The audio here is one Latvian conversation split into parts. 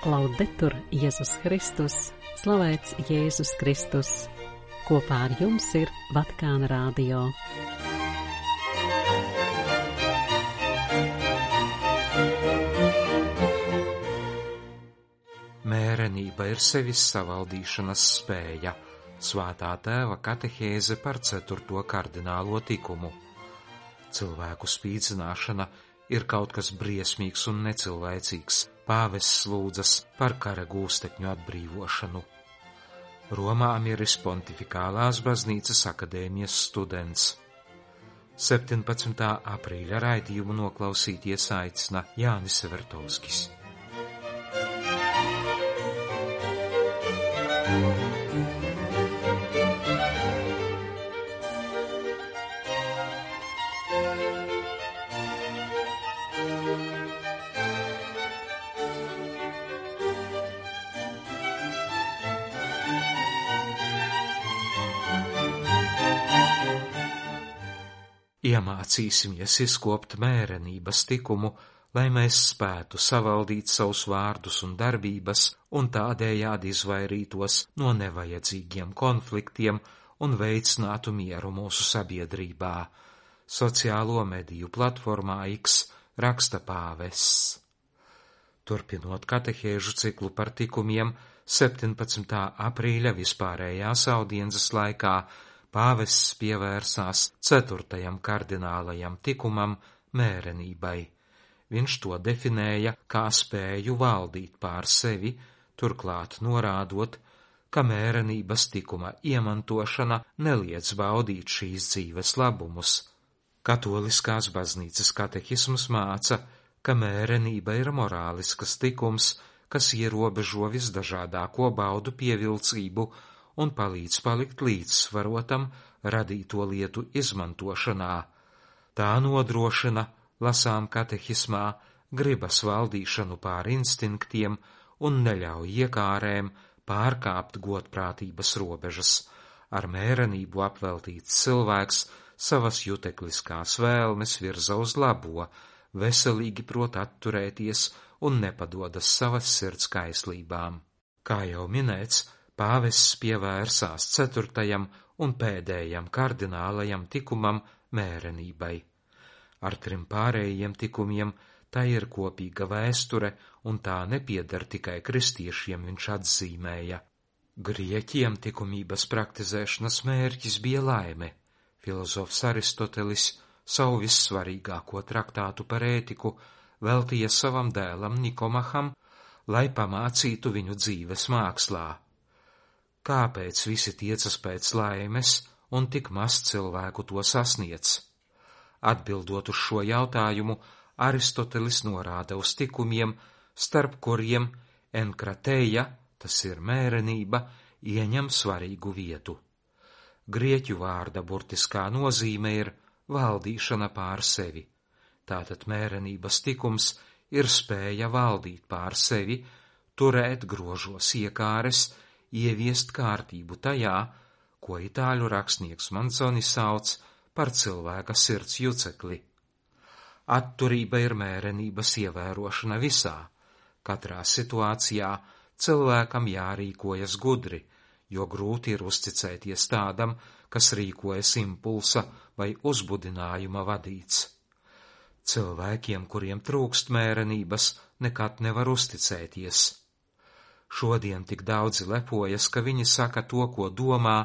Laudetur Jēzus Kristus, slavēts Jēzus Kristus. Kopā ar jums ir Vatikāna Radio. Mērenība ir sevis savaldīšanas spēja. Svētā tēva katehēze par 4. kardinālo tikumu. Cilvēku spīdzināšana ir kaut kas briesmīgs un necilvēcīgs. Pāvests lūdzas par kara gūstekņu atbrīvošanu. Romā Miris Pontifikālās baznīcas akadēmijas students. 17. aprīļa raidījumu noklausīties aicina Jānis Vertovskis. Iemācīsimies izkopt mērenības tikumu, lai mēs spētu savaldīt savus vārdus un darbības un tādējādi izvairītos no nevajadzīgiem konfliktiem un veicinātu mieru mūsu sabiedrībā. Sociālo mediju platformā X raksta pāvests. Turpinot katehēžu ciklu par tikumiem, 17. aprīļa vispārējās audiences laikā pāvests pievērsās 4. kardinālajam tikumam mērenībai. Viņš to definēja kā spēju valdīt pār sevi, turklāt norādot, ka mērenības tikuma iemantošana neliedz baudīt šīs dzīves labumus. Katoliskās baznīcas katehisms māca, ka mērenība ir morāliskas tikums, kas ierobežo visdažādāko baudu pievilcību un palīdz palikt līdzsvarotam radīto lietu izmantošanā. Tā nodrošina, lasām katehismā, gribas valdīšanu pār instinktiem un neļauj iekārēm pārkāpt godprātības robežas. Ar mērenību apveltīts cilvēks savas jutekliskās vēlmes virza uz labo, veselīgi prot atturēties un nepadodas savas sirds kaislībām. Kā jau minēts, pāvests pievērsās 4. un pēdējam kardinālajam tikumam mērenībai. Ar 3 pārējiem tikumiem tā ir kopīga vēsture, un tā nepieder tikai kristiešiem, viņš atzīmēja. Grieķiem tikumības praktizēšanas mērķis bija laime. Filozofs Aristotelis savu vissvarīgāko traktātu par ētiku veltīja savam dēlam Nikomaham, lai pamācītu viņu dzīves mākslā. Kāpēc visi tiecas pēc laimes un tik maz cilvēku to sasniedz? Atbildot uz šo jautājumu, Aristotelis norāda uz tikumiem, starp kuriem enkrateja, tas ir mērenība, ieņem svarīgu vietu. Grieķu vārda burtiskā nozīme ir valdīšana pār sevi. Tātad mērenības tikums ir spēja valdīt pār sevi, turēt grožos iekāres, ieviest kārtību tajā, ko itāļu rakstnieks Manzoni sauc par cilvēka sirds jucekli. Atturība ir mērenības ievērošana visā. Katrā situācijā cilvēkam jārīkojas gudri, jo grūti ir uzticēties tādam, kas rīkojas impulsa vai uzbudinājuma vadīts. Cilvēkiem, kuriem trūkst mērenības, nekad nevar uzticēties. Šodien tik daudzi lepojas, ka viņi saka to, ko domā,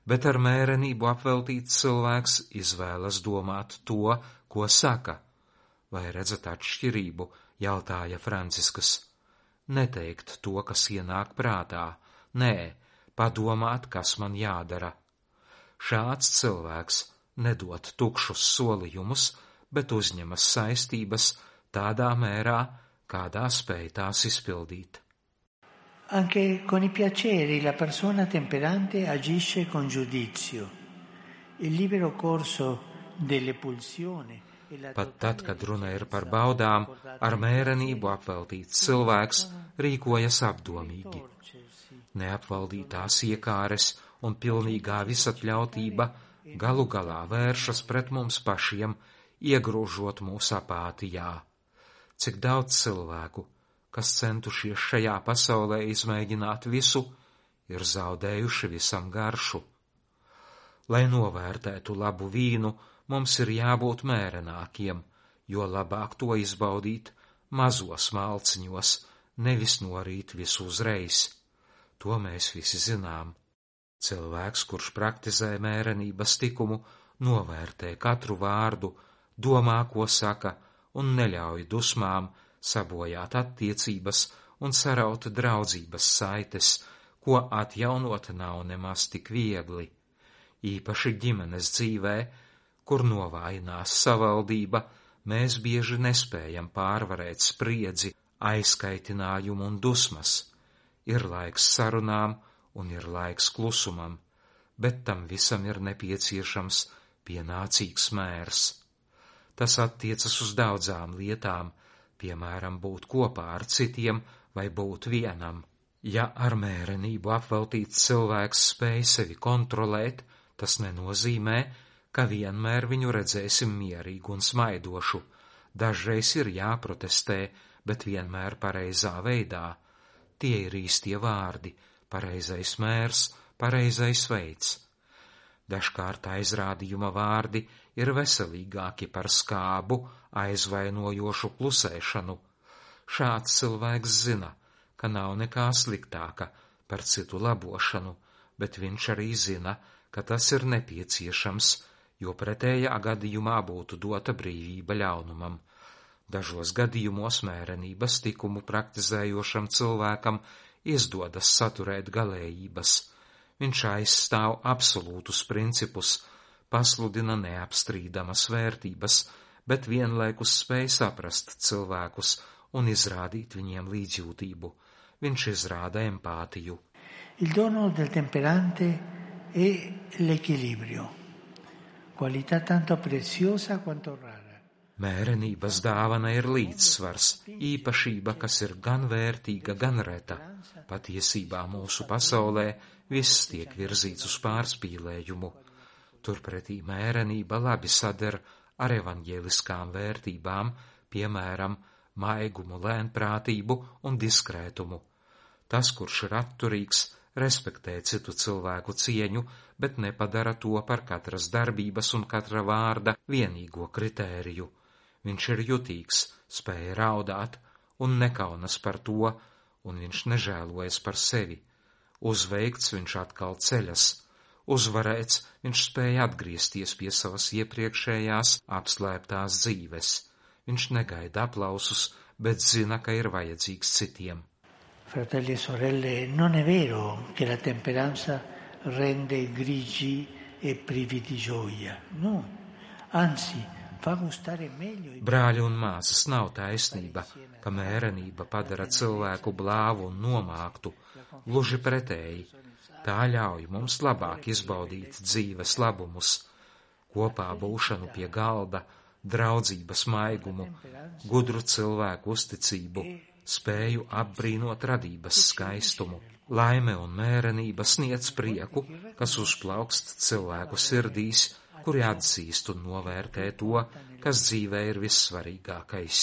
bet ar mērenību apveltīts cilvēks izvēlas domāt to, ko saka. Vai redzat atšķirību, jautāja Franciskas. Neteikt to, kas ienāk prātā, nē, padomāt, kas man jādara. Šāds cilvēks nedod tukšus solījumus, bet uzņemas saistības tādā mērā, kādā spēj tās izpildīt. Anche con i piaceri la persona temperante agisce con giudizio. Il libero corso delle pulsioni. Pat tad, kad runa ir par baudām, ar mērenību apveltīts cilvēks rīkojas apdomīgi. Neapvaldītās iekāres un pilnīgā visatļautība galu galā vēršas pret mums pašiem, iegrūžot mūs apātijā. Cik daudz cilvēku, kas centušies šajā pasaulē izmēģināt visu, ir zaudējuši visam garšu. Lai novērtētu labu vīnu, mums ir jābūt mērenākiem, jo labāk to izbaudīt mazos malciņos, nevis norīt visu uzreiz. To mēs visi zinām. Cilvēks, kurš praktizē mērenības likumu, novērtē katru vārdu, domā, ko saka, un neļauj dusmām sabojāt attiecības un saraut draudzības saites, ko atjaunot nav nemaz tik viegli. Īpaši ģimenes dzīvē, kur novājinās savaldība, mēs bieži nespējam pārvarēt spriedzi, aizkaitinājumu un dusmas. Ir laiks sarunām un ir laiks klusumam, bet tam visam ir nepieciešams pienācīgs mērs. Tas attiecas uz daudzām lietām, piemēram, būt kopā ar citiem vai būt vienam. Ja ar mērenību apveltīts cilvēks spēj sevi kontrolēt, tas nenozīmē, ka vienmēr viņu redzēsim mierīgu un smaidošu. Dažreiz ir jāprotestē, bet vienmēr pareizā veidā. Tie ir īstie vārdi, pareizais mērs, pareizais veids. Dažkārt aizrādījuma vārdi ir veselīgāki par skābu, aizvainojošu klusēšanu. Šāds cilvēks zina, ka nav nekā sliktāka par citu labošanu, bet viņš arī zina, ka tas ir nepieciešams, jo pretējā gadījumā būtu dota brīvība ļaunumam. Dažos gadījumos mērenības likumu praktizējošam cilvēkam izdodas saturēt galējības. Viņš aizstāv absolūtus principus, pasludina neapstrīdamas vērtības, bet vienlaikus spēj saprast cilvēkus un izrādīt viņiem līdzjūtību. Viņš izrāda empātiju. Il dono del temperante è l'equilibrio, qualità tanto preziosa quanto rara. Mērenības dāvana ir līdzsvars, īpašība, kas ir gan vērtīga, gan reta. Patiesībā mūsu pasaulē viss tiek virzīts uz pārspīlējumu. Turpretī mērenība labi sader ar evaņģēliskām vērtībām, piemēram, maigumu, lēnprātību un diskrētumu. Tas, kurš ir atturīgs, respektē citu cilvēku cieņu, bet nepadara to par katras darbības un katra vārda vienīgo kritēriju. Viņš ir jutīgs, spēj raudāt un nekaunas par to, un viņš nežēlojas par sevi. Uzveikts viņš atkal ceļas, uzvarēts viņš spēja atgriezties pie savas iepriekšējās apslēptās dzīves. Viņš negaida aplausus, bet zina, ka ir vajadzīgs citiem. Fratelli e sorelle, non è vero che la temperanza rende grigi e privi di gioia. No, anzi, fa gustare meglio. Brāļi un māsas, nav taisnība, ka mērenība padara cilvēku blāvu un nomāktu. Gluži pretēji, tā ļauj mums labāk izbaudīt dzīves labumus, kopā būšanu pie galda, draudzības maigumu, gudru cilvēku uzticību, spēju apbrīnot radības skaistumu. Laime un mērenība sniedz prieku, kas uzplaukst cilvēku sirdīs, kuri atzīst un novērtē to, kas dzīvē ir vissvarīgākais.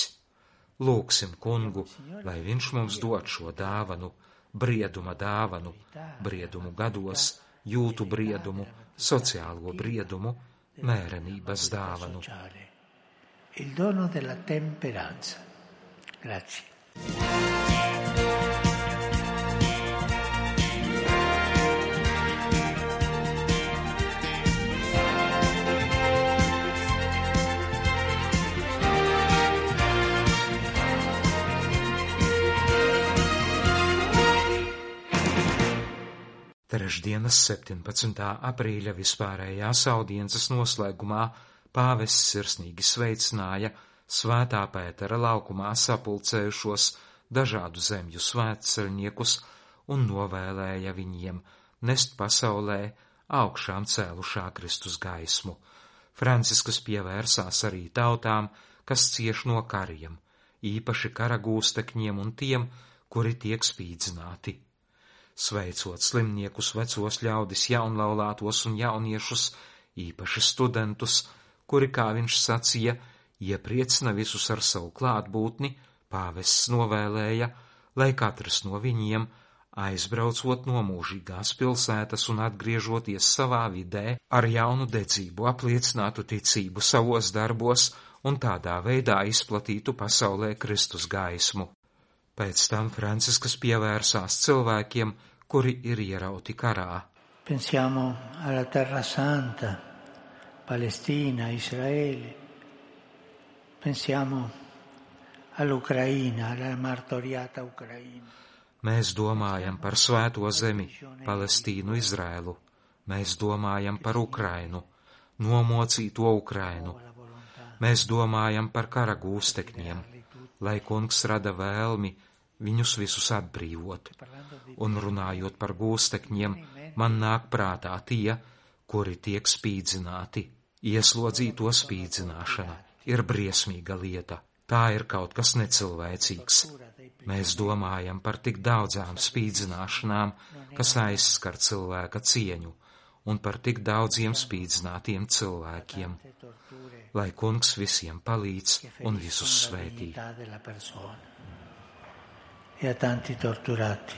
Lūgsim Kungu, lai viņš mums dod šo dāvanu, brieduma dāvanu, briedumu gados, jūtu briedumu, sociālo briedumu, mērenības dāvanu. Il dono della temperanza. Grazie. Trešdienas 17. aprīļa vispārējās audiences noslēgumā pāvests sirsnīgi sveicināja Svētā Pētera laukumā sapulcējušos dažādu zemju svētceļniekus un novēlēja viņiem nest pasaulē augšām cēlušā Kristus gaismu. Francisks pievērsās arī tautām, kas cieš no kariem, īpaši karagūstekņiem un tiem, kuri tiek spīdzināti. Sveicot slimniekus, vecos ļaudis, jaunlaulātos un jauniešus, īpaši studentus, kuri, kā viņš sacīja, iepriecina visus ar savu klātbūtni, pāvests novēlēja, lai katrs no viņiem, aizbraucot no mūžīgās pilsētas un atgriežoties savā vidē, ar jaunu dedzību apliecinātu ticību savos darbos un tādā veidā izplatītu pasaulē Kristus gaismu. Pēc tam Francisks pievērsās cilvēkiem, kuri ir ierauti karā. Pensiamo alla Terra Santa, Palestina, Israele. Pensiamo all'Ucraina, alla martoriata Ucraina. Mēs domājam par svēto zemi, Palestīnu, Izrēlu. Mēs domājam par Ukrainu, nomocīto Ukrainu. Mēs domājam par kara gūstekņiem, lai Kungs rada vēlmi viņus visus atbrīvot. Un runājot par gūstekņiem, man nāk prātā tie, kuri tiek spīdzināti. Ieslodzīto spīdzināšana ir briesmīga lieta. Tā ir kaut kas necilvēcīgs. Mēs domājam par tik daudzām spīdzināšanām, kas aizskar cilvēka cieņu, un par tik daudziem spīdzinātiem cilvēkiem. Lai Kungs visiem palīdz un visus svētī. E a tanti torturati.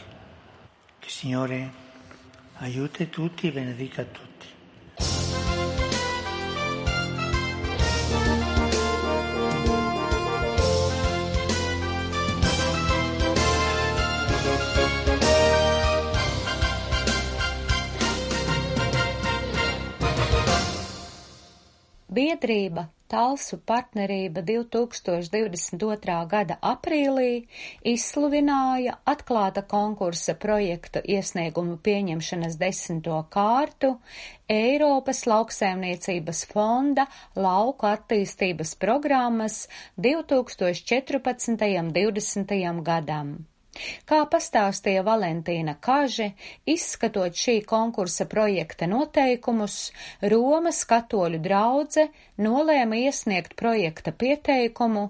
Che Signore aiuti tutti e benedica tutti. Biedrība Talsu partnerība 2022. gada aprīlī izsludināja atklāta konkursa projektu iesniegumu pieņemšanas 10. kārtu Eiropas lauksaimniecības fonda lauku attīstības programmas 2014.–2020. gadam. Kā pastāstīja Valentīna Kaže, izskatot šī konkursa projekta noteikumus, Romas katoļu draudze nolēma iesniegt projekta pieteikumu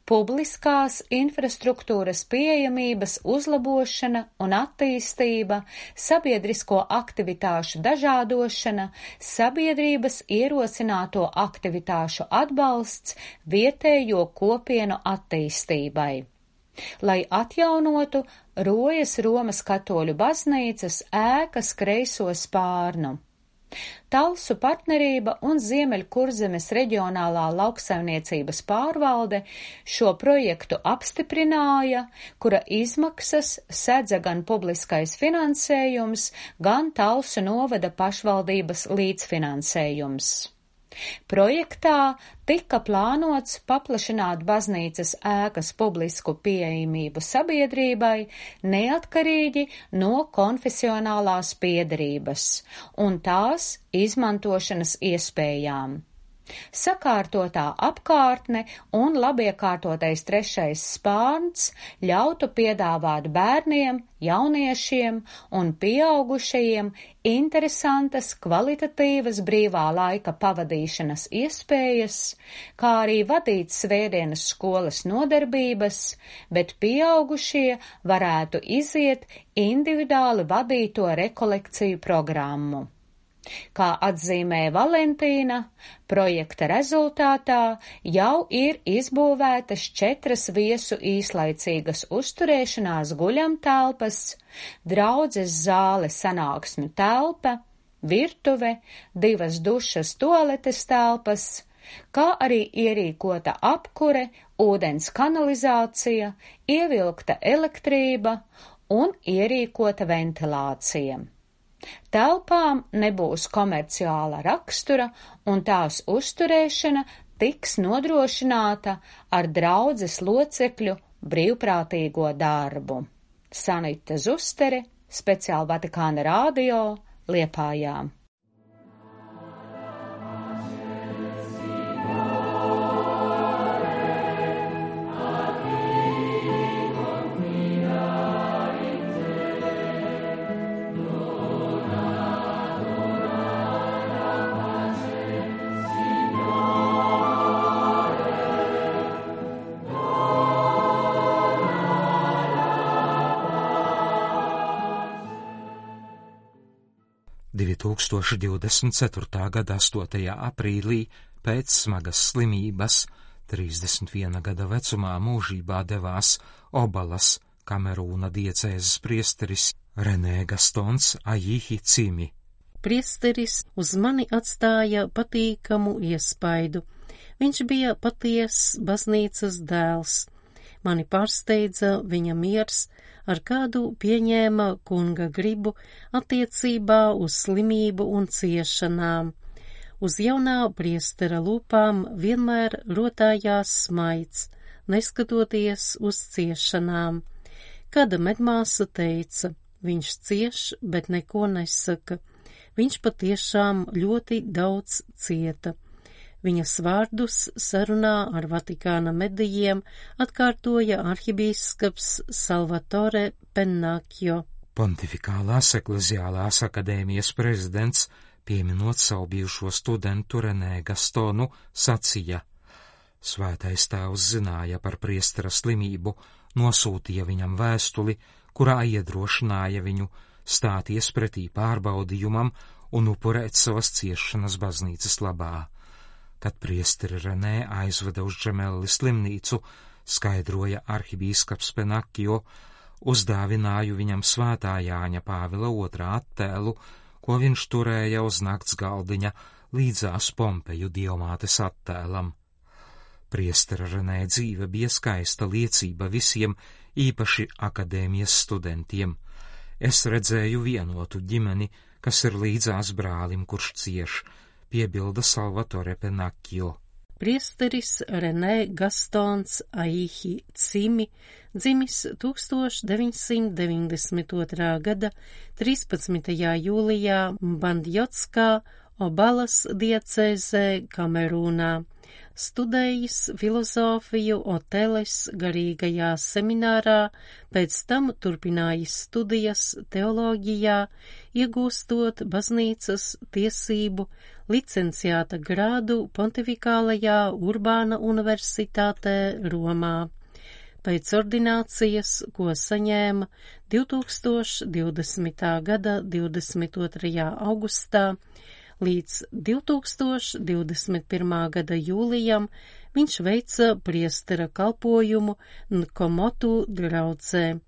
publiskās infrastruktūras pieejamības uzlabošana un attīstība, sabiedrisko aktivitāšu dažādošana, sabiedrības ierosināto aktivitāšu atbalsts vietējo kopienu attīstībai. Lai atjaunotu Rojas Romas katoļu baznīcas ēkas kreiso spārnu. Talsu partnerība un Ziemeļkurzemes reģionālā lauksaimniecības pārvalde šo projektu apstiprināja, kura izmaksas sedza gan publiskais finansējums, gan Talsu novada pašvaldības līdzfinansējums. Projektā tika plānots paplašināt baznīcas ēkas publisku pieejamību sabiedrībai neatkarīgi no konfesionālās piederības un tās izmantošanas iespējām. Sakārtotā apkārtne un labiekārtotais 3. spārns ļautu piedāvāt bērniem, jauniešiem un pieaugušajiem interesantas, kvalitatīvas brīvā laika pavadīšanas iespējas, kā arī vadīt svētdienas skolas nodarbības, bet pieaugušie varētu iziet individuāli vadīto rekolekciju programmu. Kā atzīmē Valentīna, projekta rezultātā jau ir izbūvētas 4 viesu īslaicīgas uzturēšanās guļamtelpas, draudzes zāle sanāksmju telpa, virtuve, 2 dušas tualetes telpas, kā arī ierīkota apkure, ūdens kanalizācija, ievilkta elektrība un ierīkota ventilācija. Telpām nebūs komerciāla rakstura un tās uzturēšana tiks nodrošināta ar draudzes locekļu brīvprātīgo darbu. Sanita Zustere, speciāli Vatikāna radio, Liepājā. –2024. gada 8. aprīlī pēc smagas slimības 31 gada vecumā mūžībā devās Obalas, Kamerūna diecēzes priesteris Renē Gastons Ajihi Cimi. Priesteris uz mani atstāja patīkamu iespaidu. Viņš bija patiess baznīcas dēls. Mani pārsteidza viņa miers, ar kādu pieņēma kunga gribu attiecībā uz slimību un ciešanām. Uz jaunā priestera lūpām vienmēr rotājās smaids, neskatoties uz ciešanām. Kāda medmāsa teica, viņš cieš, bet neko nesaka. Viņš patiešām ļoti daudz cieta. Viņas vārdus sarunā ar Vatikāna medijiem atkārtoja arhibīskaps Salvatore Pennacchio. Pontifikālās ekleziālās akadēmijas prezidents, pieminot savu bijušo studentu Renē Gastonu, sacīja: Svētais tēvs zināja par priestera slimību, nosūtīja viņam vēstuli, kurā iedrošināja viņu stāties pretī pārbaudījumam un upurēt savas ciešanas baznīcas labā. Kad priesteri Renē aizveda uz Džemelli slimnīcu, skaidroja arhibīskaps Pennacchio, uzdāvināju viņam svētā Jāņa Pāvila II attēlu, ko viņš turēja uz nakts galdiņa līdzās Pompeju dievmātes attēlam. Priestera Renē dzīve bija skaista liecība visiem, īpaši akadēmijas studentiem. Es redzēju vienotu ģimeni, kas ir līdzās brālim, kurš cieš, piebilda Salvatore Pennacchio. Priesteris Renē Gastons Ajihi Cimi, dzimis 1992. gada 13. jūlijā Bandjotskā, Obalas diecēzē, Kamerūnā. Studējis filozofiju Oteles garīgajā seminārā, pēc tam turpinājis studijas teoloģijā, iegūstot baznīcas tiesību licenciāta grādu Pontifikālajā Urbāna universitātē Romā. Pēc ordinācijas, ko saņēma 2020. gada 22. augustā, līdz 2021. gada jūlijam viņš veica priestera kalpojumu Nkomotu draudzē.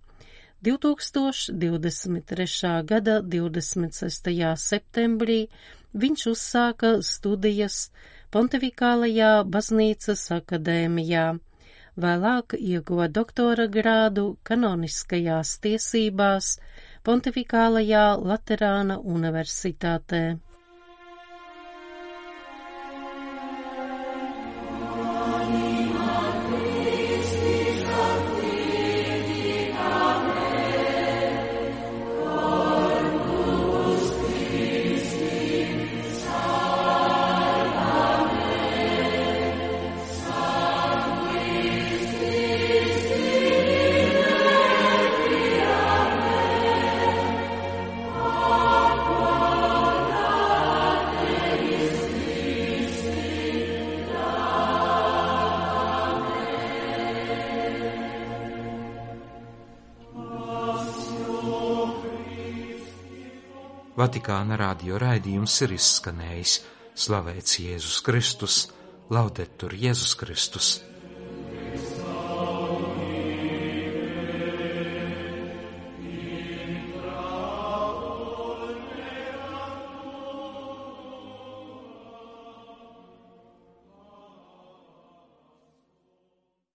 2023. gada 26. septembrī viņš uzsāka studijas Pontifikālajā baznīcas akadēmijā. Vēlāk ieguva doktora grādu kanoniskajās tiesībās Pontifikālajā Laterāna universitātē. Vatikāna radio raidījums ir izskanējis. Slavēts Jēzus Kristus, Laudetur Jēzus Kristus.